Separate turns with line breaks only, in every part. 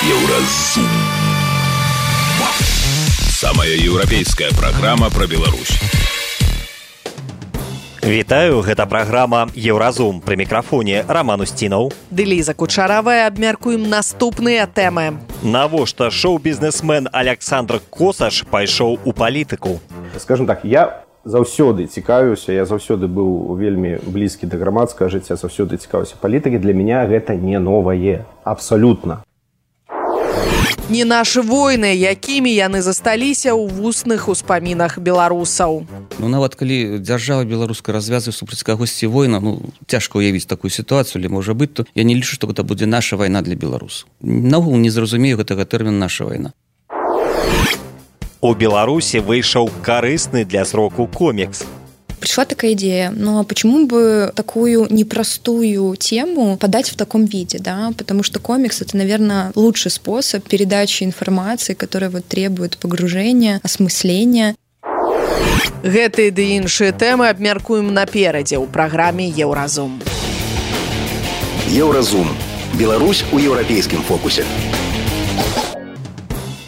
Еўразум. Самая еўрапейская праграма пра Беларусь.
Вітаю, гэта праграма «Еўразум». Пры мікрафоне Роман Устінаў.
Ды Ліза Кучаравая. Абмяркуем наступныя тэмы.
Навошта шоу-бізнесмен Александр Косаш пайшоў у палітыку?
Скажем так, я заўсёды цікавіўся, я заўсёды быў вельмі блізкі да грамадскага жыцця, заўсёды цікавіўся палітыкі. Для меня гэта не новае. Абсалютна.
Не нашы войны, якімі яны засталіся ў вусных успамінах беларусаў.
Нават калі дзяржава беларуская развязвае супраць кагосьці война, цяжка ўявіць такую сітуацыю, але можа быць, то я не лічу, што гэта будзе наша вайна для беларусаў. Наогул не зразумею гэтага тэрміна «наша вайна».
У Беларусі выйшаў карысны для зроку комікс.
Пришла такая идея, а почему бы такую непростую тему подать в таком виде, да? Потому что комикс — это, наверное, лучший способ передачи информации, которая требует погружения, осмысления.
Гэтыя ды іншыя тэмы абмяркуем наперадзе ў праграме «Еўразум».
Еўразум. Беларусь у еўрапейскім фокусе.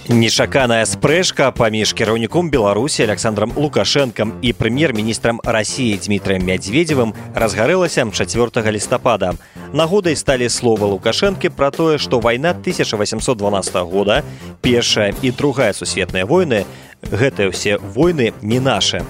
Нечаканая спрэчка паміж кіраўніком Беларусі Александром Лукашэнкам і прэм'ер-міністрам Расіі Дмітрием Мядзведзевым разгарэлася 4 лістапада. Нагодай сталі словы Лукашэнкі пра тое, што вайна 1812 года, Першая і Другая сусветныя войны, гэтыя ўсе войны не нашы.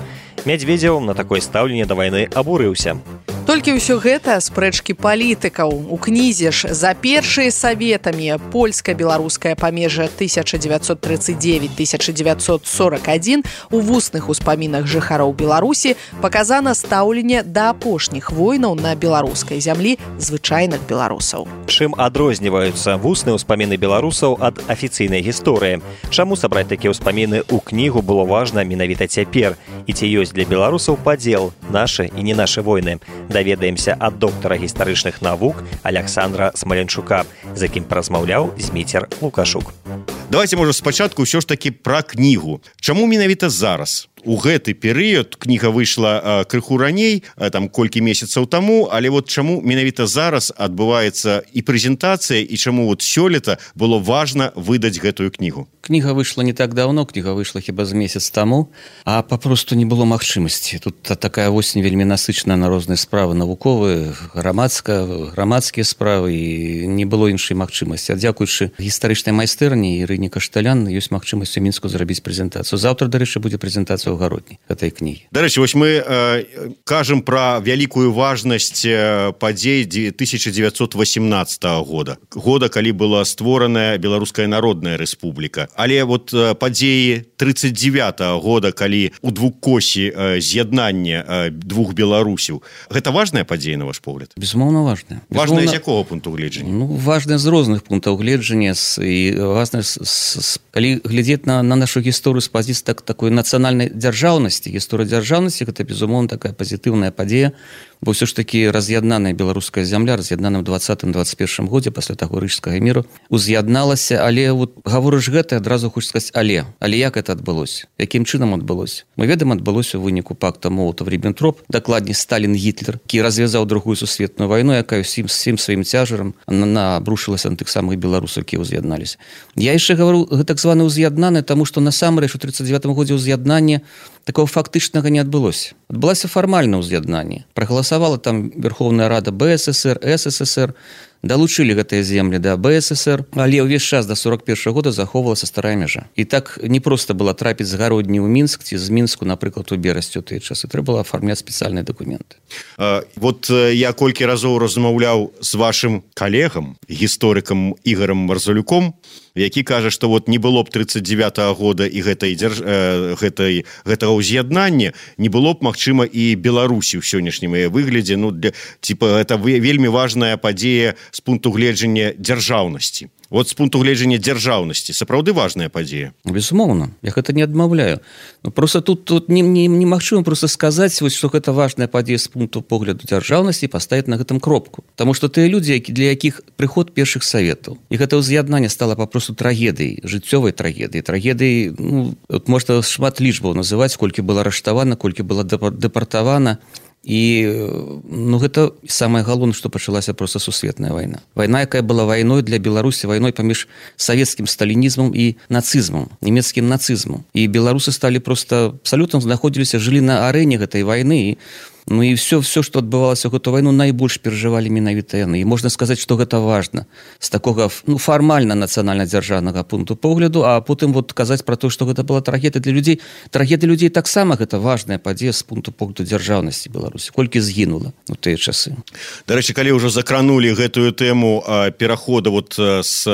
Мядзведзеў на такое стаўленне да вайны абурыўся.
Толькі ўсё гэта спрэчкі палітыкаў. У кнізе ж «За першыя саветамі. Польска-беларускае памежжа 1939-1941» у вусных успамінах жыхароў Беларусі паказана стаўленне да апошніх войнаў на беларускай зямлі звычайных беларусаў.
Чым адрозніваюцца вусныя ўспаміны беларусаў ад афіцыйнай гісторыі? Чаму сабраць такія ўспаміны ў кнігу было важна менавіта цяпер? І ці ёсць для беларусаў падзел нашы і не нашы войны? Даведаемся ад доктара гістарычных навук Александра Смаленчука, з якім паразмаўляў Зміцер Лукашук.
Давайте, можа, спачатку ўсё ж такі пра кнігу. Чаму менавіта зараз? У гэты перыяд кніга выйшла крыху раней, там колькі месяцаў таму, але чаму менавіта зараз адбываецца і прэзентацыя, і чаму сёлета было важна выдаць гэтую кнігу?
Кніга выйшла не так даўно, кніга выйшла хіба з месяц таму, а папросту не было магчымасці. Тут такая восень вельмі насычаная на розныя справы навуковыя, грамадскія справы, і не было іншай магчымасці. А дзякуючы гістарычнай майстэрні Ірыне Кашталян ёсць магчымасць у Мінску зрабіць прэзентацыю. Заўтра, дарэчы, будзе прэзентацыя ў гародні гэтай кнігі.
Дарэчы, мы кажам пра вялікую важнасць падзей 1918 года, калі была створаная Беларуская Народная Рэспубліка. Але падзеі 39 года, калі у двукосі з'яднання двух беларусяў, гэта важная падзея, на ваш погляд?
Безумоўна, важная.
Важная з якога пункту гледжання?
Важная з розных пунктаў гледжання, і важная, калі глядзець на нашу гісторыю з пазіцыі такой нацыянальнай дзяржаўнасці. Гісторыя дзяржаўнасці — гэта, безумоўна, такая пазітыўная падзея, бо ўсё ж такі раз'яднаная беларуская зямля, раз'яднаная ў 20-21 годзе пасля таго рыжскага міру, уз'ядналася, але гаворыш гэта, адразу хочаш сказаць але як гэта адбылося? Якім чынам адбылося? Мы ведаем, адбылося ў выніку пакта Молатаў-Ріббентроп, дакладней Сталін-Гітлер, які развязаў Другую сусветную вайну, якая ўсім сваім цяжарам набрушылася на тых самых беларусаў, які ўз'ядналіся. Я яшчэ гавару так званы ўз'яднаны, таму што насамрэч у 39 годзе ўз'яднання такого фактычнага не адбылося. Адбылася фармальна ўз'яднанне. Прагаласавала там Верховная Рада БССР, СССР, далучылі гэтыя землі да БССР, але ўвесь час да 41 года захоўвалася старая мяжа. І так не проста было трапіць з гародні ў Мінск ці з Мінску, напрыклад, у Берасці ў тыя часы. Трэба было афармляць спецыяльныя дакументы.
Я колькі разоў размаўляў з вашым калегам, гісторыкам Ігарам Марзалюком, які кажа, што не было б 39 года і гэтага ўз'яднання, не было б, магчыма, і Беларусі ў сённяшнім выглядзе. Гэта вельмі важная падзея з пункту гледжання дзяржаўнасці. З пункту гледжання дзяржаўнасці сапраўды важная падзея.
Безумоўна, я гэта не адмаўляю. Просто тут немагчыма просто сказаць, што гэта важная падзея з пункту погляду дзяржаўнасці і паставіць на гэтым кропку. Таму што тыя людзі, для якіх прыход першых саветаў, і гэта ўз'яднанне стала папросту трагедыяй, жыццёвай трагедыяй, можна шмат лічбаў называць, колькі было арыштавана, колькі было дэпартавана, і ну гэта самае галоўнае, што пачалася проста сусветная вайна, якая была вайной для Беларусі, вайной паміж савецкім сталінізмам і нацызмам, нямецкім нацызмам, і беларусы сталі просто абсалютна знаходзіліся, жылі на арэне гэтай вайны. Ну і все, што адбывалася ў гэту вайну, найбольш перажывалі менавіта яны. І можна сказаць, што гэта важна з такога фармальна нацыянальна-дзяржаўнага пункту погляду, а потым вот казаць пра то, што гэта была трагедыя для людзей. Трагедыя людзей таксама гэта важная падзея з пункту погляду дзяржаўнасці Беларусі. Колькі згінула ў тыя часы.
Дарэчы, калі ўжо закранулі гэтую тэму перахода вот з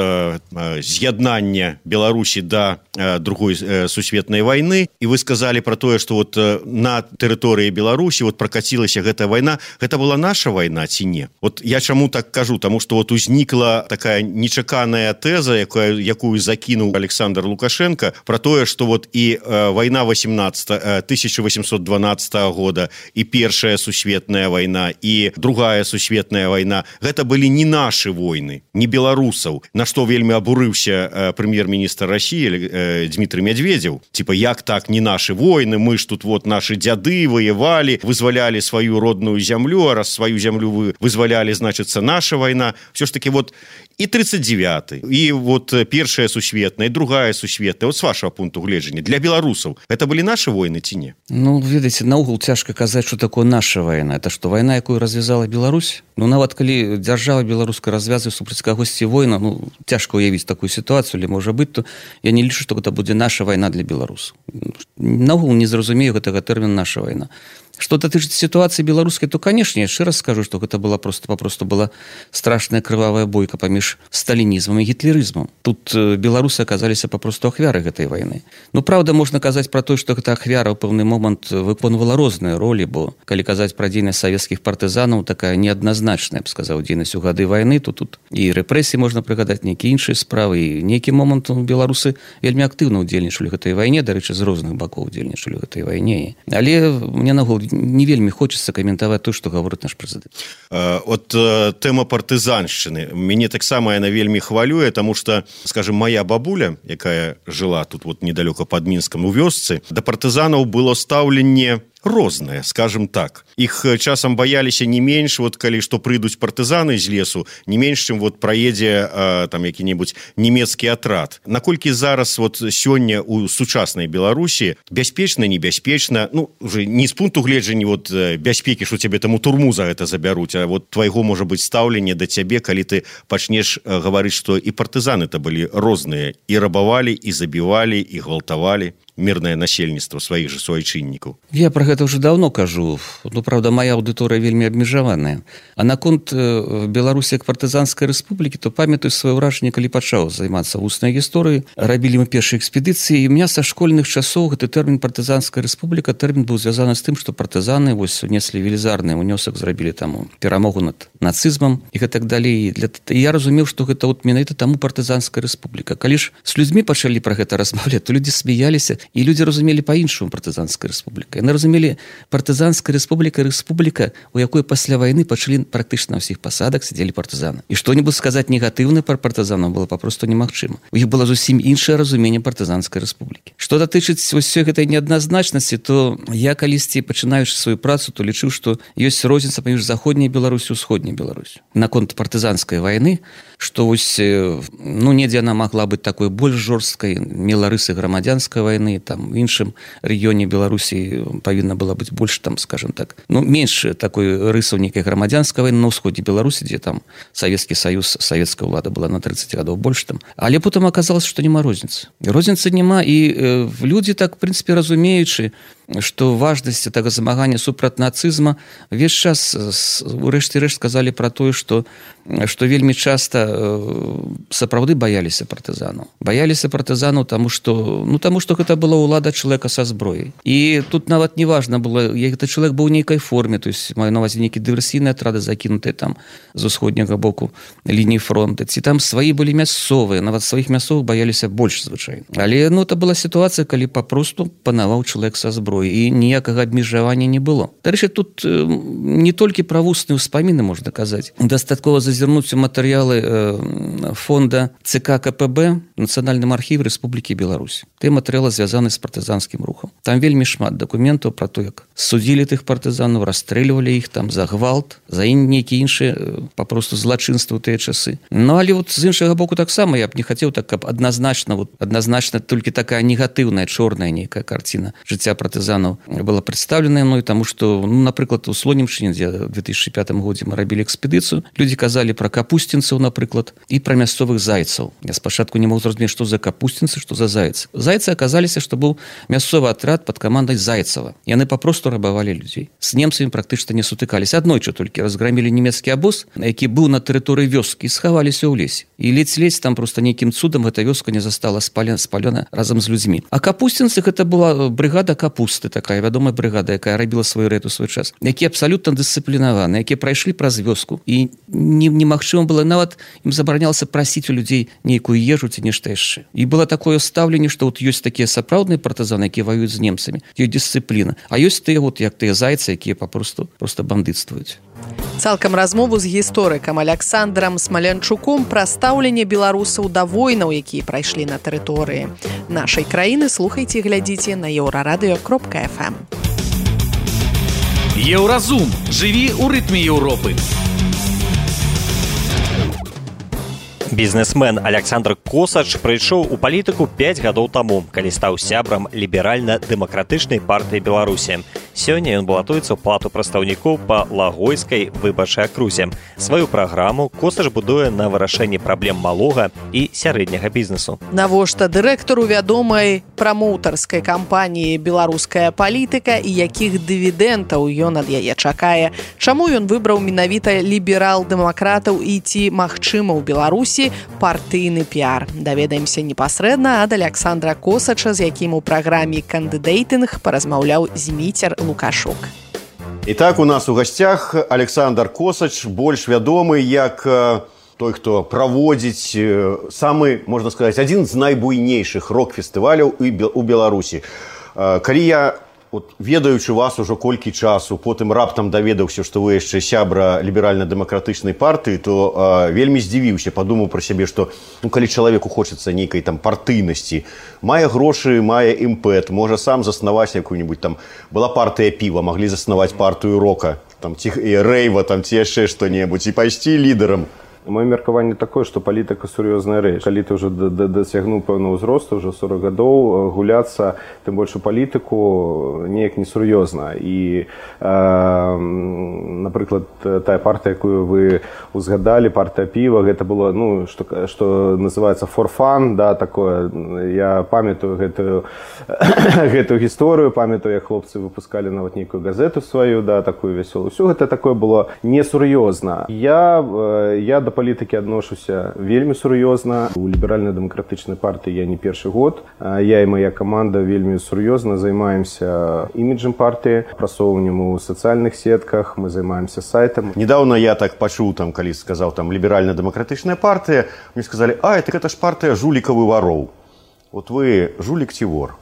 з'яднання Беларусі да другой сусветнай вайны, і вы сказалі пра тое, што вот на тэрыторыі Беларусі вот пракацілася гэтая вайна, гэта была наша вайна ці не? Вот я чаму так кажу, таму што вот узнікла такая нечаканая тэза, якую закінуў Александр Лукашенко, пра тое, што вот і вайна 1812 года, і першая сусветная вайна, і другая сусветная вайна, гэта былі не нашы войны, не беларусаў, на што вельмі абурыўся прэм'ер-міністр России Дмитрий Медведев. Типа, як так, не наши войны, мы ж тут вот наши дзяды воевали, вызволяли свою родную землю, а раз свою землю вы вызволяли, значится, наша война. Все ж таки вот и 39-й, и вот первая сусветная, и другая сусветная, вот с вашего пункту гледжання, для белорусов, это были наши войны ці не?
Ну, ведаеце, наогул цяжка казаць, что такое наша война. Это что, война, якую развязала Беларусь? Ну, нават калі дзяржава беларуская развязвае супраць кагосьці война, ну, цяжка уявіць такую ситуацию, или можа быць, то я не лічу, что гэта будзе наша война для беларусаў. Наогул не зразумею гэтага тэрміна наша война. Что датычыцца ситуации беларускай, то, конечно, я яшчэ раз скажу, что гэта была попросту была страшная крывавая бойка паміж сталінізмам і гітлерызмам. Тут беларусы аказаліся попросту ахвяры гэтай вайны. Ну, правда, можна казаць пра то, што гэта ахвяра ў пэўны момант выконвала розныя ролі, бо калі казаць пра дзейнасць савецкіх партызанаў, такая неадназначная, я б сказаў, дзейнасць у гады вайны, то тут і рэпрэсіі можна прыгадаць, нейкія іншыя справы, і нейкі момант беларусы вельмі актыўна ўдзельнічалі ў гэтай вайне, дарэчы, з розных бакоў ўдзельнічалі ў гэтай вайне. Але мне нагул не вельмі хочется каментаваць то, што гаворыць наш прэзідэнт.
От тэма партызаншчыны мяне таксама яна вельмі хвалюе, таму што, скажем, моя бабуля, якая жыла тут вот недалёка пад Мінскам у вёсцы, да партызанаў было стаўленне рознае, скажем так. Іх часам баяліся не менш, вот калі што прыйдуць партызаны з лесу, не менш, чым вот праедзе там які-небудзь нямецкі атрад. Наколькі зараз вот сёння у сучаснай Беларусі бяспечна, небяспечна, ну, уже не з пункту гледжання вот бяспекі, што цябе там у турму за гэта забяруць, а вот твайго, можа быць, стаўленне да цябе, калі ты пачнеш гаварыць, што і партызаны-то былі розныя, і рабавалі, і забівалі, і гвалтавалі мирное насельніцтва сваіх же суайчыннікаў.
Я про гэта уже давно кажу. Ну, правда, моя аўдыторыя вельмі абмежаваная. А наконт Беларусі як партызанскай рэспублікі, то памятаю сваё ўражанне, калі пачаў займацца вуснай гісторыяй. Рабілі мы першыя экспедыцыі, і у меня са школьных часоў гэты тэрмін партызанская рэспубліка, тэрмін быў звязаны з тым, што партызаны вось унеслі велізарны унёсак, зрабілі там перамогу над нацызмам і гэтак далей. І я разумеў, што гэта вот менавіта таму партызанская рэспубліка. Калі ж з людзьмі пачалі пра гэта размаўляць, то людзі смяяліся. І людзі разумелі па-іншаму партызанская рэспубліка. Яны разумелі партызанская рэспубліка, у якой пасля вайны пачалі практычна на ўсіх пасадах сядзелі партызаны. І што-небудзь сказаць негатыўна пра партызанаў было папросту немагчыма. У іх было зусім іншае разуменне партызанскай рэспублікі. Што датычыць ўсёй гэтай неадназначнасці, то я калісьці, пачынаючы сваю працу, то лічыў, што ёсць розніца паміж заходняй Беларусю і усходняй Беларусю. Наконт партызанскай вайны, што вось, ну, недзе яна магла быць такой больш жорсткай, мела рысы грамадзянскай вайны, там в іншым рэгіёне Беларусі павінна была быць больш, там, скажем так, ну, менш такой рысаў нейкай грамадзянскай вайны на ўсходзе Беларусі, дзе там Савецкі Саюз, савецкая ўлада была на 30 гадоў больш там. Але потым аказалось, што няма розніцы. Розніцы няма, і людзі так, в прынцыпе, разумеючы, што важнасць гэтага змагання супраць нацызма увесь час урэшце рэшт сказалі пра тое, што вельмі часта сапраўды баяліся партызанаў. Баяліся партызанаў, таму што гэта была ўлада чалавека са зброяй. І тут нават не важна было, гэты чалавек быў у нейкай форме, то есть маю на ўвазе нейкі дыверсійныя атрады закінутыя там з усходняга боку лініі фронта, ці там свае былі мясцовыя, нават сваіх мясцовых баяліся больш звычайна. Але, ну, это была сітуацыя, калі папросту панаваў чалавек са зброяй. свой і ніякага абмежавання не было. Дарэчы, тут не толькі пра вусныя ўспаміны можна казаць. Дастаткова зазірнуць у матэрыялы фонда ЦК КПБ Нацыянальным архіве Рэспублікі Беларусь. Тыя матэрыялы звязаны з партызанскім рухам. Там вельмі шмат дакументаў пра то, як судзілі тых партызанаў, расстрэльвалі іх там за гвалт, за нейкія іншыя папросту злачынствы ў тыя часы. Ну, але вот з іншага боку таксама я б не хацеў так, каб адназначна толькі такая негатыўная, чорная нейкая карціна жыцця партызанаў была прадстаўленая мной, таму што, ну, напрыклад, у Слонімшчыне, дзе ў 2005 годзе мы рабілі экспедыцыю, людзі казалі пра капусцінцаў, напрыклад, і пра мясцовых зайцаў. Я спачатку не мог зразумець, што за капусцінцы, што за зайцы. Зайцы аказаліся, што быў мясцовы атрад пад камандай Зайцева. Яны папросту рабавалі людзей. З немцамі практычна не сутыкаліся. Аднойчы толькі разграмілі нямецкі абоз, які быў на тэрыторыі вёскі, і схаваліся ў лесе. І ледзь-ледзь там проста нейкім цудам эта вёска не застала спалена разам з людзьмі. А капусцінцы гэта была брыгада капусты, такая вядомая брыгада, якая рабіла свой рэд у свой час. Якія абсалютна дысцыплінаваны, якія прайшлі праз вёску. І немагчыма было, нават ім забаранялася прасіць у людзей нейкую ежу ці нешта яшчэ. І было такое стаўленне, што вот ёсць такія сапраўдныя партызаны, якія ваююць з немцамі, ёсць дысцыпліна. А ёсць тыя, вот, як тыя зайцы, якія просто бандытствуюць.
Цалкам размову з гісторыкам Аляксандрам Смалянчуком пра стаўленне беларусаў да войнаў, якія прайшлі на тэрыторыі нашай краіны, слухайце і глядзіце на еўрарадыё.фм.
Еўразум. Жыві ў рытме Еўропы.
Бізнесмен Александр Косач прыйшоў у палітыку 5 гадоў таму, калі стаў сябрам ліберальна-дэмакратычнай партыі Беларусі. Сёння ён балатуецца ў палату прадстаўнікоў па Лагойскай выбарчай акрузе. Сваю праграму Косач будуе на вырашэнні праблем малога і сярэдняга бізнесу.
Навошта дырэктару вядомай прамоўтарскай кампаніі «Беларуская палітыка» і якіх дывідэнтаў ён ад яе чакае? Чаму ён выбраў менавіта ліберал-дэмакратаў і ці магчыма ў Беларусі партыйны піар? Даведаемся непасрэдна ад Александра Косача, з якім у праграме «Кандыдэйтынг» паразмаўляў Зміцер Лукашук.
Итак, у нас у гостях Александр Косач, больш вядомы як той, хто праводзіць самы, можна сказаць, адзін з найбуйнейшых рок-фестываляў у Беларусі. Калі я, ведаючы вас ужо колькі часу, потым раптам даведаўся, што вы яшчэ сябра ліберальна-дэмакратычнай партыі, то вельмі здзівіўся, падумаў пра сябе, што калі чалавеку хочацца нейкай там партыйнасці, мае грошы, мае імпэт, можа сам заснаваць якую-нибудь там, была партыя піва, маглі заснаваць партыю рока, там, ці рэйва, там, ці яшчэ што-небудзь, і пайсці лідарам.
Моё меркаванне такое, што палітыка сур'ёзная рэч. Калі ты ўжо дасягнуў пэўнага ўзросту, ўжо 40 гадоў, гуляцца, тым больш у палітыку, неяк несур'ёзна. І, напрыклад, тая партыя, якую вы узгадалі, партыя піва, гэта было, што называецца for fun, да, такое. Я памятаю гэтую гісторыю, памятаю, як хлопцы выпускалі нават нейкую газету сваю, да, такую вясёлую. Усё гэта такое было несур'ёзна. Я да палітыкі адношуся вельмі сур'ёзна. У ліберальна-дэмакратычнай партыі я не першы год. Я і моя каманда вельмі сур'ёзна займаемся іміджам партыі, прасоўваннем у сацыяльных сетках, мы займаемся сайтам.
Недавно я так пачуў, там, калі сказаў там ліберальна-дэмакратычная партыя, мне сказалі: «Ай, так гэта ж партыя жулікаў і вароў». Вот вы жулік ці вор?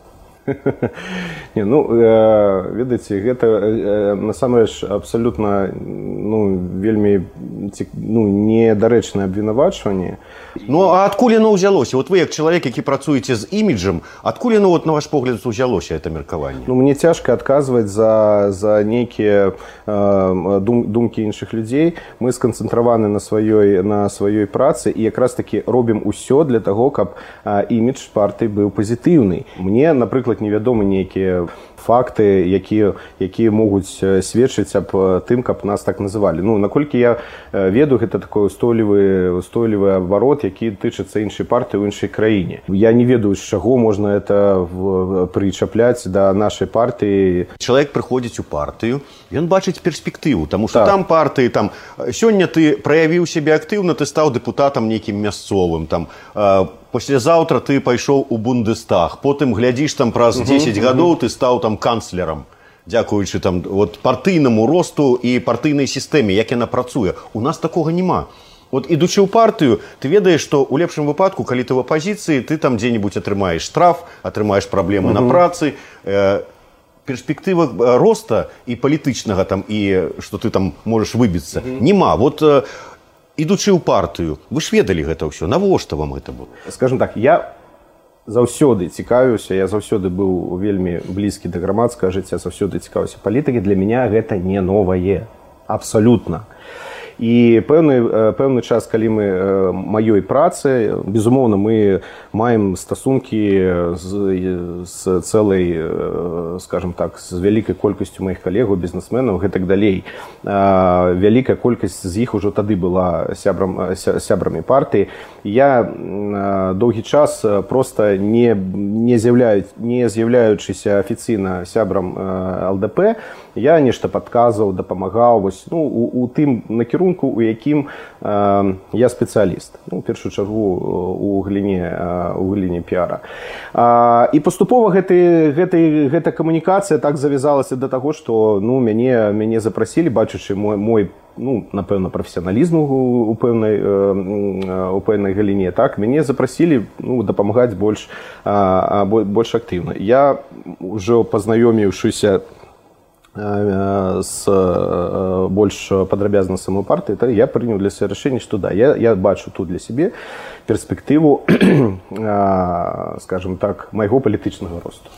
Не, ведаеце, гэта насамрэч абсалютна вельмі недарэчнае абвінавачванне.
Ну, а адкуль яно ўзялося? Вот вы, як чалавек, які працуеце з іміджам, адкуль яно, на ваш погляд, ўзялося, это меркаванне?
Мне цяжка адказваць за нейкія думкі іншых людзей. Мы сканцэнтраваны на сваёй працы і якраз такі робім усё для таго, каб імідж партыі быў пазітыўны. Мне, напрыклад, невядомы нейкія факты, якія могуць сведчыць аб тым, каб нас так называлі. Наколькі я ведаю, гэта такой устойлівы абарот, які тычыцца іншай партыі ў іншай краіне. Я не ведаю, з чаго можна это прычапляць да нашай партыі.
Чалавек прыходзіць у партыю, ён бачыць перспектыву, таму што там партыі, там, сёння ты праявіў сябе актыўна, ты стаў дэпутатам нейкім мясцовым, там, паслязаўтра ты пайшоў у Бундестаг, потым глядзіш там праз 10 гадоў ты стаў там канцлерам, дзякуючы там партыйнаму росту і партыйнай сістэме, як яна працуе. У нас такога няма. Вот ідучы ў партыю, ты ведаеш, што ў лепшым выпадку, калі ты ў апазіцыі, ты там дзе-небудзь атрымаеш штраф, атрымаеш праблемы на працы, перспектыва роста і палітычнага там, і што ты там можаш выбіцца, нема. Вот ідучы ў партыю, вы ж ведалі гэта ўсё, навошта вам гэта было?
Скажем так, я заўсёды цікавіўся, я заўсёды быў вельмі блізкі да грамадскага жыцця, заўсёды цікавіўся палітыкай, для мяне гэта не новае, абсалютна. І пэўны час, калі мы маёй працы, безумоўна, мы маем стасункі з цэлай, скажем так, з вялікай колькасцю маіх калегаў, бізнесменаў, гэтак далей. Вялікая колькасць з іх ужо тады была сябрамі партыі. Я доўгі час проста не з'яўляючыся афіцыйна сябрам ЛДП, я нешта падказваў, дапамагаў у тым накірунку, у якім я спецыяліст, у першую чаргу у галіне піара. І паступова гэта камунікацыя так завязалася да таго, што мяне запрасілі, бачачы мой напэўна, прафесіяналізм у пэўнай галіне, так, мяне запрасілі дапамагаць больш актыўна. Я ўжо пазнаёміўшыся с больш падрабязна самой партыі, я прыняў для сябе рашэнне, што да, я бачу тут для сябе перспектыву, скажем так, майго палітычнага росту.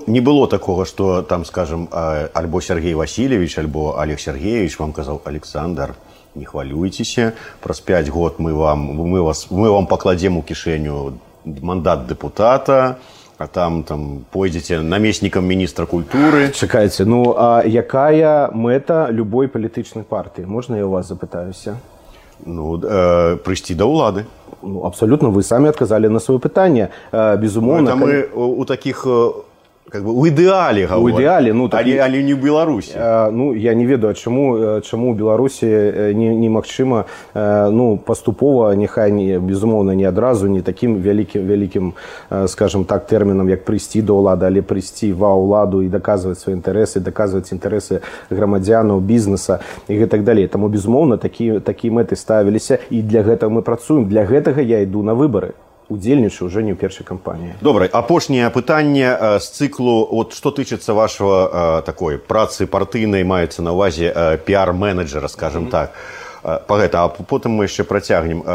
Не было такога, што там, скажем, альбо Сергей Васильевич, альбо Олег Сергеевич вам казаў: Александр, не хвалюйцеся, праз 5 год мы вам пакладзем у кішэню мандат дэпутата, а там пойдзеце намеснікам міністра культуры.
Чакайце, а якая мэта любой палітычнай партыі? Можна я у вас запытаюся?
Прыйсці да ўлады.
Абсолютно, вы самі адказалі на сваё пытанне. Безумоўна,
мы у такіх у ідэале гаворым, але не ў Беларусі.
Я не ведаю, чаму ў Беларусі немагчыма паступова, няхай безумоўна не адразу, не такім вялікім, скажем так, тэрмінам, як прыйсці да ўлады, але прыйсці ва ўладу і даказваць свае інтарэсы, даказваць інтарэсы грамадзянаў, бізнеса і гэтак далей. Таму безумоўна такія мэты ставіліся, і для гэтага мы працуем. Для гэтага я іду на выбары. Удзельнічаю ўжо не ў першай кампаніі.
Добра, апошняе пытанне з цыклу, што тычыцца вашага такой працы партыйнай, маецца на ўвазе піар-менеджера, скажем так. А потым мы яшчэ працягнем.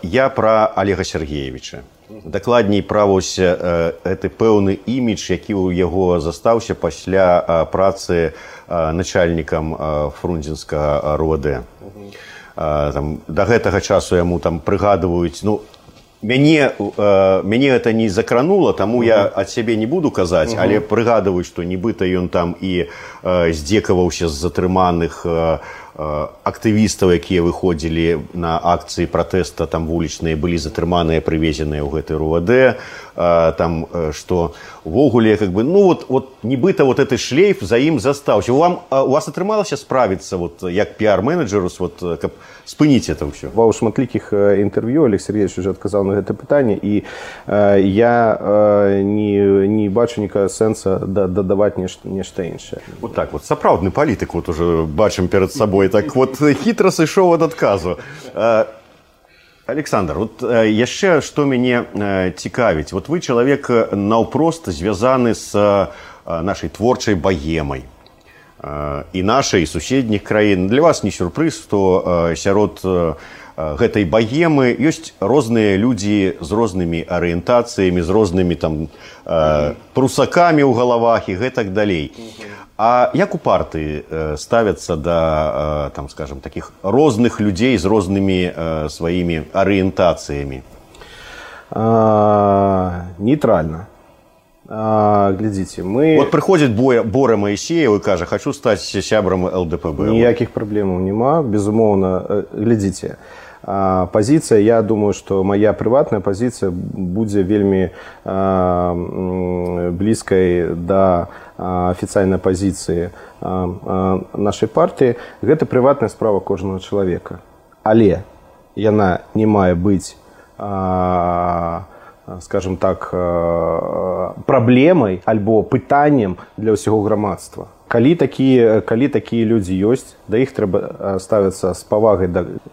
Я пра Олега Сергеевича. Дакладней пра гэты пэўны імідж, які ў яго застаўся пасля працы начальнікам фрунзенскага РУВД. Да гэтага часу яму прыгадваюць, мяне гэта не закранула, таму я ад сябе не буду казаць, але прыгадваюць, што нібыта ён там і здзекаваўся з затрыманых актывістаў, якія выходзілі на акцыі пратэста, там вулічныя былі затрыманыя, прывезеныя ў гэты РУВД, там што увогуле нібыта гэты шлейф за ім застаўся. У вас атрымалася справіцца як піар-менеджеру, каб спыніць это ўсё?
Ва ў шматлікіх інтэрв'ю Олег Сергеевич уже адказаў на гэта пытанне, і я не бачу ніякага сэнса дадаваць нешта іншае.
Сапраўдны палітык уже бачым перад сабой, так хітра сышоў ад адказу. Александр, яшчэ што мяне цікавіць. Вы чалавек наўпрост звязаны з нашай творчай багемай і нашай, і суседніх краін. Для вас не сюрпрыз, што сярод гэтай багемы ёсць розныя людзі з рознымі арыентацыямі, з рознымі прусакамі ў галавах і гэтак далей. А як у партыі ставяцца да, скажем, такіх розных людзей з рознымі сваімі арыентацыямі?
Нейтральна. Глядзіце, мы...
Прыходзіць Бора Маісеев і кажа: хочу стаць сябрам ЛДПБ.
Ніякіх праблемаў няма, безумоўна. Глядзіце, пазіцыя, я думаю, што моя прыватная пазіцыя будзе вельмі блізкай да афіцыйнай пазіцыі нашай партыі. Гэта прыватная справа кожнага чалавека. Але яна не мае быць, скажем так, праблемай альбо пытаннем для ўсяго грамадства. Калі такія людзі ёсць, да іх трэба ставіцца з павагай,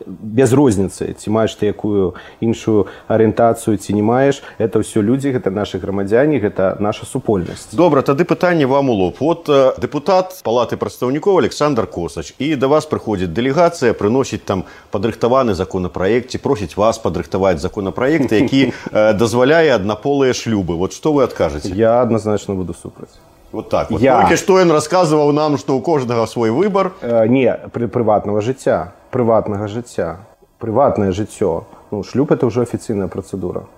без розніцы, ці маеш ты якую іншую арыентацыю, ці не маеш. Это ўсё людзі, гэта нашы грамадзяне, гэта наша супольнасць.
Добра, тады пытанне вам у лоб. Вот депутат Палаты прадстаўнікоў Александр Косач, і да вас прыходзіць дэлегацыя, прыносіць там падрыхтаваны законопроект, ці просіць вас падрыхтаваць законопроект, які дазваляе аднаполыя шлюбы. Вот што вы адкажаце?
Я адназначна буду супраць.
Вот так. Вот. Толькі што ён расказваў нам, што ў кожнага свой выбар.
Не, прыватнага жыцця. Прыватнае жыццё. Ну, шлюб – это ўжо афіцыйная працэдура.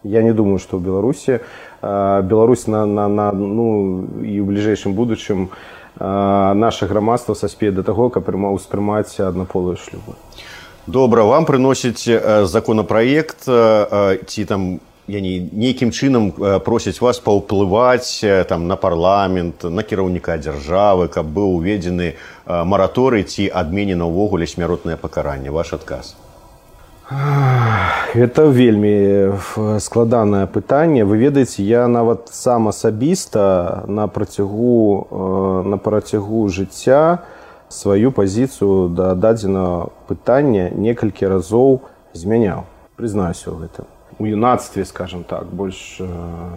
Я не думаю, што ў Беларусі Беларусь і ў бліжэйшым будучым наша грамадства саспее да таго, каб успрымаць аднаполыя шлюбы.
Добра, вам прыносіць законопроект, ці там нейкім чынам просяць вас паўплываць там на парламент, на кіраўніка дзяржавы, каб быў уведзены мараторый ці адменена ўвогуле смяротнае пакаранне. Ваш адказ?
Это вельмі складанае пытанне. Вы ведаеце, я нават сам асабіста на працягу жыцця сваю пазіцыю да дадзенага пытання некалькі разоў змяняў. Прызнаюся ў гэтым. У юнацтве, скажем так, больш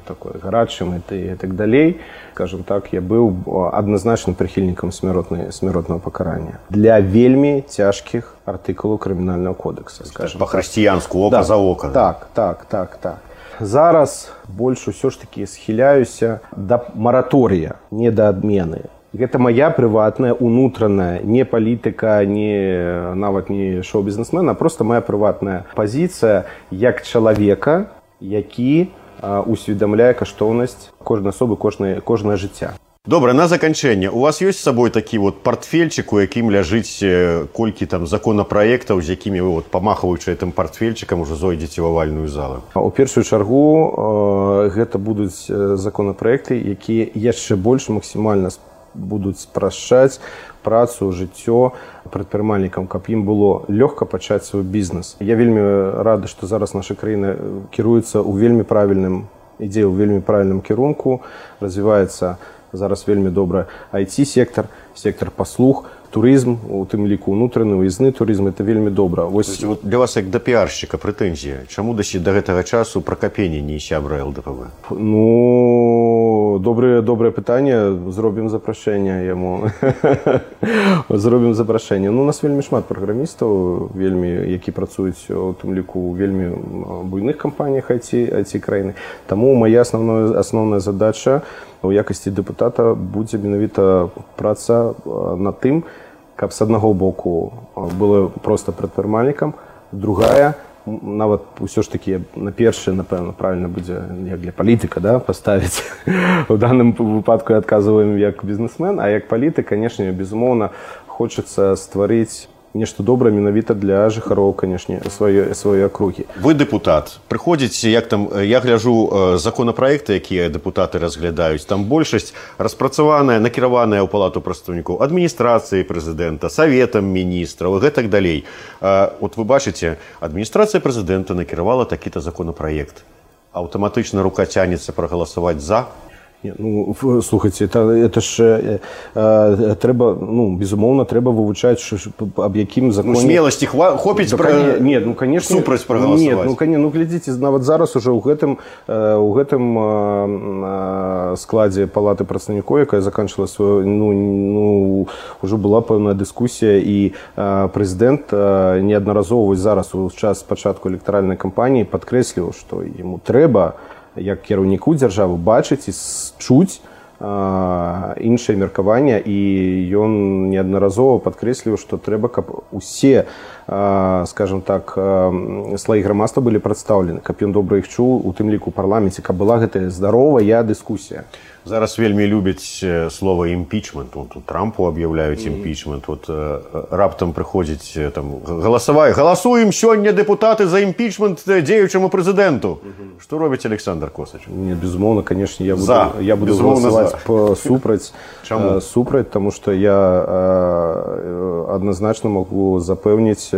такой гарачым і так далей, скажем так, я быў адназначным прыхільнікам смяротнага пакарання для вельмі цяжкіх артыкулаў крымінальнага кодекса, скажем.
Па-хрысціянску, ока за ока.
Так. Зараз больш усё ж такі схіляюся да мараторыя, не да адмены. Гэта моя прыватная, унутраная, не палітыка, нават не шоу-бізнесмена, а просто моя прыватная пазіцыя як чалавека, які усведамляе каштоўнасць кожнай асобы, кожнае жыцця.
Добра, на заканчэнне. У вас ёсць з сабой такі вот партфельчык, у якім ляжыць колькі там законапраектаў, з якімі вы, памахваючы гэтым партфельчыкам, ужо зойдзеце ў авальную залу?
У першую чаргу гэта будуць законапраекты, якія яшчэ больш максімальна будуць спрашчаць працу, жыццё прадпрымальнікам, каб ім было лёгка пачаць свой бізнес. Я вельмі рады, што зараз наша краіна кіруецца ў вельмі правільным кірунку, развіваецца зараз вельмі добра IT-сектор, сектор паслуг, турызм, у тым ліку ўнутраны, выязны турызм, это вельмі добра.
Для вас, як да піаршчыка, прэтэнзія. Чаму да гэтага часу Пракапеня не сябра ЛДПВ?
Ну, добрае пытанне. Зробім запрашэнне яму. Зробім запрашэнне. Ну, у нас вельмі шмат праграмістаў, які працуюць у тым ліку ў вельмі буйных кампаніях IT краіны. Таму моя асноўная задача у якасці дэпутата будзе менавіта праца над тым, каб з аднаго боку было проста прадпрымальнікам, другая, нават ўсё ж такі на першае, напэўна, правільна будзе як для палітыка, да, паставіць. У даным выпадку я адказваем як бізнесмен, а як палітык, канешне, безумоўна, хочацца стварыць нешта добрае менавіта для жыхароў, канешне, сваёй акругі.
Вы дэпутат. Прыходзіце, як там, я гляджу законапраекты, якія дэпутаты разглядаюць, там большасць распрацаваная, накіраваная ў Палату прадстаўнікоў адміністрацыі прэзідэнта, саветам міністраў і гэтак далей. От вы бачыце, адміністрацыя прэзідэнта накіравала такі-то законапраект. Аўтаматычна рука цянецца прагаласаваць за?
Ну, слухайте, это ж трэба, ну, безумоўна, трэба вывучаць, аб якім законе...
Ну, смеласці хопіць супраць прагаласаваць.
Ну, глядзіце, нават зараз уже ў гэтым складзе Палаты прадстаўнікоў, якая заканчвала сваю, ўжо была пэўная дыскусія, і прэзідэнт неаднаразова зараз у час пачатку электаральнай кампаніі падкрэсліў, што яму трэба як кіраўніку дзяржавы бачыць і чуць іншае меркаванне, і ён неаднаразова падкрэсліў, што трэба, каб усе, скажем так, слаі грамадства былі прадстаўлены, каб ён добра іх чуў, у тым ліку ў парламенце, каб была гэтая здаровая дыскусія.
Зараз вельмі любяць слова імпічмент. Трампу аб'яўляюць імпічмент. Раптам прыходзіць, галасуем сёння дэпутаты за імпічмент дзеючаму прэзідэнту. Што робіць Александр Косач?
Не, безумоўна, конечно, я буду галасаваць супраць, таму што я адназначна магу запэўніць,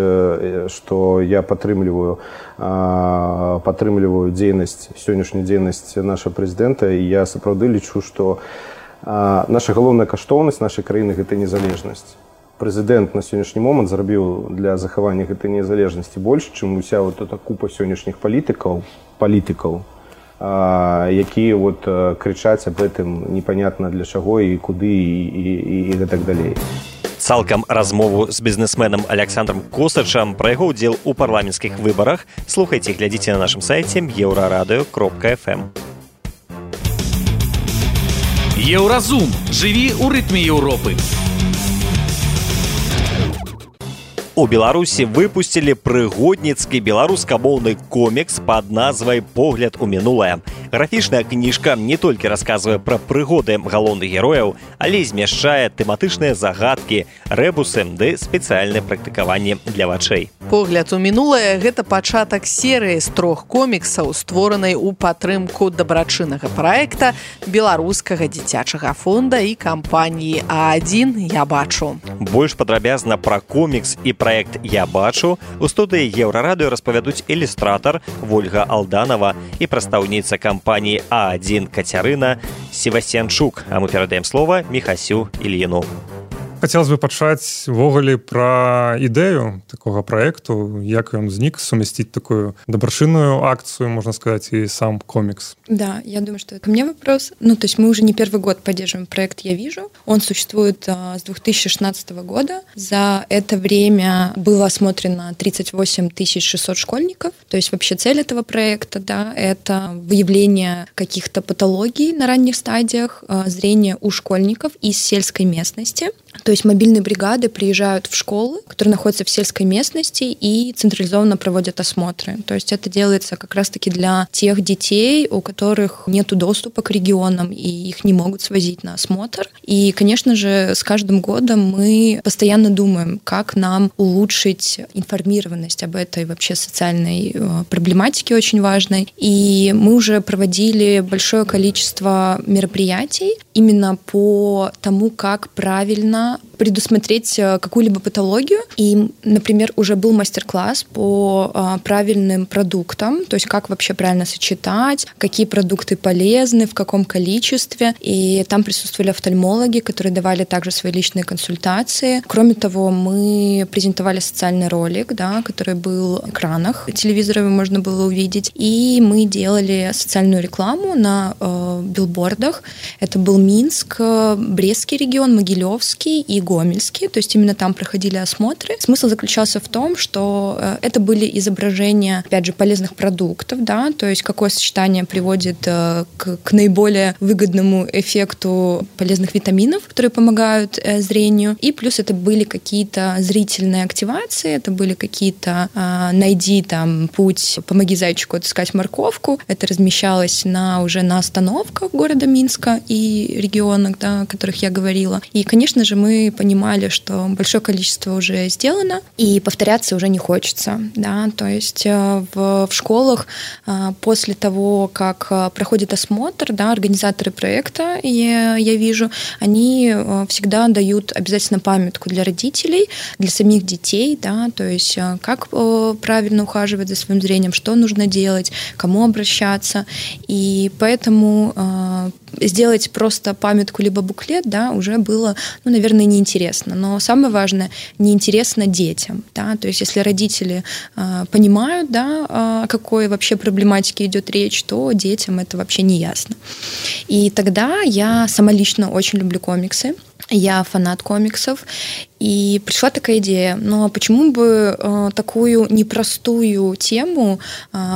што я падтрымліваю сённяшнюю дзейнасць нашага прэзідэнта, і я сапраўды лічу, што наша галоўная каштоўнасць нашай краіны – гэта незалежнасць. Прэзідэнт на сённяшні момант зрабіў для захавання гэтай незалежнасці больш, чым уся вот эта купа сённяшніх палітыкаў, якія вот крычаць аб гэтым непонятна для чаго і куды і гэтак далей.
Цалкам размову з бізнесменам Александром Косачам пра яго ўдзел у парламенцкіх выбарах слухайце і глядзіце на нашым сайце euraradio.fm.
Еўразум. Жыві ў рытме Еўропы.
У Беларусі выпусцілі прыгодніцкі беларускамоўны комікс пад назвай «Погляд у мінулае». Графічная кніжка не толькі расказвае пра прыгоды галоўных герояў, але і змяшчае тэматычныя загадкі, рэбусы ды спецыяльныя практыкаванні для вачэй.
«Погляд у мінулае» – гэта пачатак серыі з 3 коміксаў, створанай у падтрымку дабрачыннага праекта беларускага дзіцячага фонда і кампаніі А1 «Я бачу».
Больш падрабязна пра комікс і праект «Я бачу» у студыі Еўрарадыё распавядуць ілюстратар Вольга Алданова і прадстаўніца кампаніі А1 Кацярына Севастьянчук. А мы перадаем слова Міхасю Ільіну.
Хацелось бы пачаць увогуле пра ідэю такога праекту, як ён знік, сумясціць такую дабрачынную акцию, можно сказать, и сам комикс.
Да, я думаю, что это ко мне вопрос. То есть мы уже не первый год поддерживаем проект «Я вижу». Он существует с 2016 года. За это время было осмотрено 38 600 школьников. То есть вообще цель этого проекта, да, это выявление каких-то патологий на ранних стадиях зрения у школьников из сельской местности. То есть мобильные бригады приезжают в школы, которые находятся в сельской местности, и централизованно проводят осмотры. То есть это делается как раз-таки для тех детей, у которых нет доступа к регионам, и их не могут свозить на осмотр. И, конечно же, с каждым годом мы постоянно думаем, как нам улучшить информированность об этой вообще социальной проблематике очень важной. И мы уже проводили большое количество мероприятий именно по тому, как правильно предусмотреть какую-либо патологию. И, например, уже был мастер-класс по правильным продуктам, то есть как вообще правильно сочетать, какие продукты полезны, в каком количестве. И там присутствовали офтальмологи, которые давали также свои личные консультации. Кроме того, мы презентовали социальный ролик, да, который был в экранах телевизора, можно было увидеть. И мы делали социальную рекламу на билбордах. Это был Минск, Брестский регион, Могилевский и Гомельский, то есть именно там проходили осмотры. Смысл заключался в том, что это были изображения, опять же, полезных продуктов, да, то есть какое сочетание приводит к наиболее выгодному эффекту полезных витаминов, которые помогают зрению. И плюс это были какие-то зрительные активации, это были какие-то найди там путь, помоги зайчику отыскать морковку. Это размещалось уже на остановках города Минска и регионах, да, о которых я говорила. И, конечно же, мы понимали, что большое количество уже сделано, и повторяться уже не хочется. Да? То есть в школах после того, как проходит осмотр, да, организаторы проекта, я вижу, они всегда дают обязательно памятку для родителей, для самих детей, да, то есть как правильно ухаживать за своим зрением, что нужно делать, кому обращаться. И поэтому сделать просто памятку либо буклет, да, уже было, наверное, неинтересно. Но самое важное, неинтересно детям. Да? То есть если родители понимают, да, о какой вообще проблематике идет речь, то детям это вообще не ясно. И тогда я сама лично очень люблю комиксы. Я фанат комиксов. И пришла такая идея, а почему бы такую непростую тему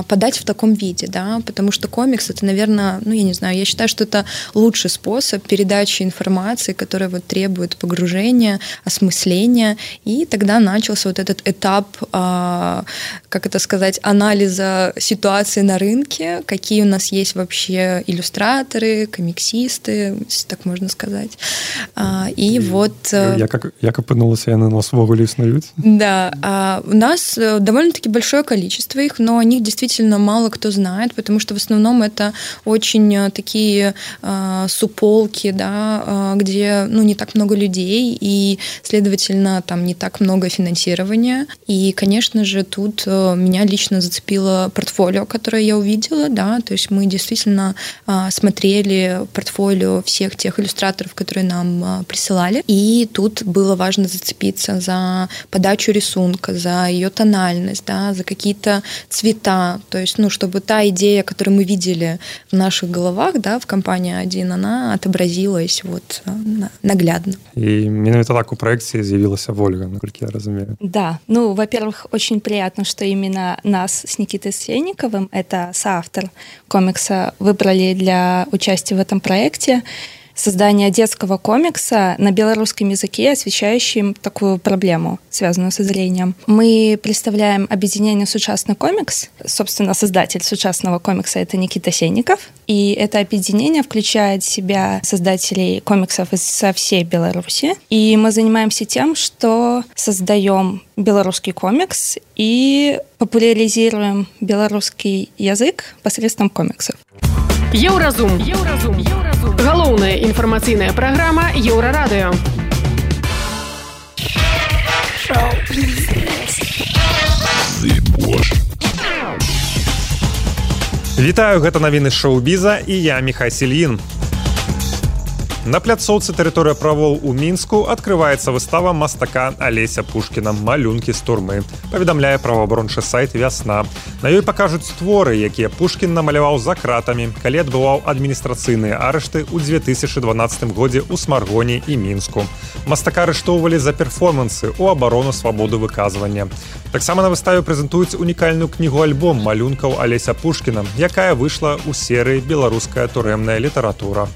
подать в таком виде, да? Потому что комикс — это, наверное, я не знаю, я считаю, что это лучший способ передачи информации, которая вот требует погружения, осмысления. И тогда начался вот этот этап, как это сказать, анализа ситуации на рынке, какие у нас есть вообще иллюстраторы, комиксисты, если так можно сказать. И вот...
Я как апынулася, яны нас ввогуле існуюць?
Да, у нас довольно-таки большое количество их, но о них действительно мало кто знает, потому что в основном это очень такие суполки, да, где не так много людей, и, следовательно, там не так много финансирования. И, конечно же, тут меня лично зацепило портфолио, которое я увидела, да, то есть мы действительно смотрели портфолио всех тех иллюстраторов, которые нам присылали, и тут было важно зацепиться за подачу рисунка, за ее тональность, да, за какие-то цвета, то есть, чтобы та идея, которую мы видели в наших головах, да, в компании А1, она отобразилась вот наглядно.
И менавіта так у проекте з'явилася Ольга, насколько я разумею.
Да, во-первых, очень приятно, что именно нас с Никитой Сенниковым, это соавтор комикса, выбрали для участия в этом проекте. Создание детского комикса на белорусском языке, освещающим такую проблему, связанную со зрением. Мы представляем объединение «Сучасный комикс». Собственно, создатель «Сучасного комикса» — это Никита Сенников. И это объединение включает в себя создателей комиксов со всей Беларуси. И мы занимаемся тем, что создаем белорусский комикс и популяризируем белорусский язык посредством комиксов.
Еўразум. Галоўная інфармацыйная праграма Еўрарадыё.
Вітаю, гэта навіны шоу-біза і я Міхай Сельін. На пляцоўцы «Тэрыторыя правоў» у Мінску адкрываецца выстава мастака Алеся Пушкіна «Малюнкі з турмы», паведамляе праваабарончы сайт «Вясна». На ёй пакажуць творы, якія Пушкін намаляваў за кратамі, калі адбываў адміністрацыйныя арышты ў 2012 годзе ў Смаргоне і Мінску. Мастака арыштоўвалі за перформансы ў абарону свабоды выказвання. Таксама на выставе прэзентуюць унікальную кнігу-альбом малюнкаў Алеся Пушкіна, якая выйшла ў серыі «Беларуская турэмная літаратура».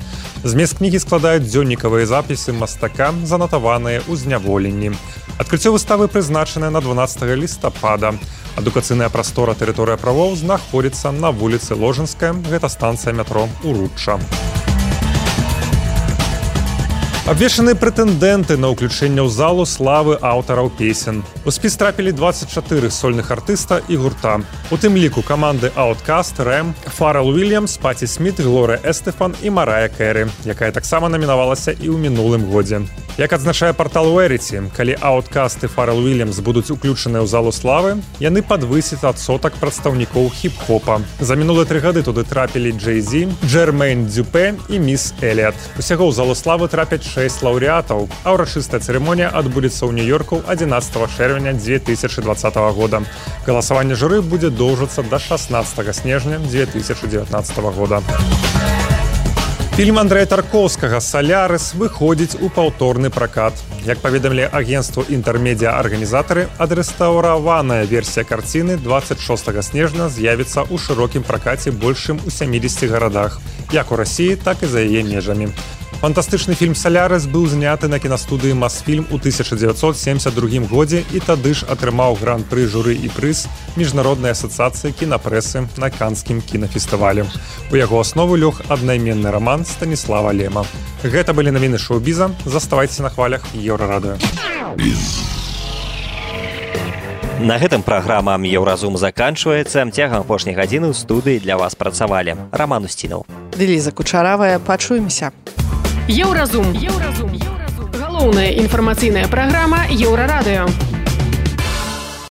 Змест кнігі складаюць дзённікавыя запісы мастака, занатаваныя ў зняволенні. Адкрыццё выставы прызначанае на 12 лістапада. Адукацыйная прастора «Тэрыторыя правоў» знаходзіцца на вуліцы Ложынская, гэта станцыя метро Уручча. Абвешчаны прэтэндэнты на ўключэнне ў залу славы аўтараў песен. У спіс трапілі 24 сольных артыста і гурта. У тым ліку каманды Outkast, Рэм, Фарэл Уільямс, Паці Сміт, Глорыя Эстэфан і Марая Кэры, якая таксама намінавалася і ў мінулым годзе. Як адзначае партал Веріці, калі Outkast і Фарэл Уільямс будуць уключаныя ў залу славы, яны падвысяць адсотак прадстаўнікоў хіп-хопа. За мінулыя 3 гады туды трапілі Джей-Зі, Джермейн Дзюпе і Міс Эліат. Усяго ў залу славы трапяць 6 лаўрэатаў, а ўрачыстая цырымонія адбудзецца ў Нью-Йорку 11 чэрвеня 2020 года. Галасаванне журы будзе доўжыцца да 16 снежня 2019 года. Фільм Андрэя Таркоўскага «Салярыс» выходзіць у паўторны пракат. Як паведамілі агенцтву «Інтэрмедіа-арганізатары», адрэстаўраваная версія карціны 26 снежня з'явіцца ў шырокім пракаце больш чым у 70 гарадах, як у Расіі, так і за яе межамі. Фантастычны фільм «Салярыс» быў зняты на кінастудыі «Масфільм» у 1972 годзе і тады ж атрымаў гран-пры журы і прыз Міжнароднай асацыяцыі кінапрэсы на Канскім кінафестывалі. У яго аснову лёг аднайменны раман Станіслава Лема. Гэта былі навіны шоу-біза. Заставайцеся на хвалях Еўрарадыё.
На гэтым праграма «Еўразум» заканчваецца. Цягам апошняй гадзіны ў студыі для вас працавалі Раман Устінаў,
Ліза Кучаравая. Пачуемся.
Еўразум. Галоўная інфармацыйная праграма Еўрарадыё.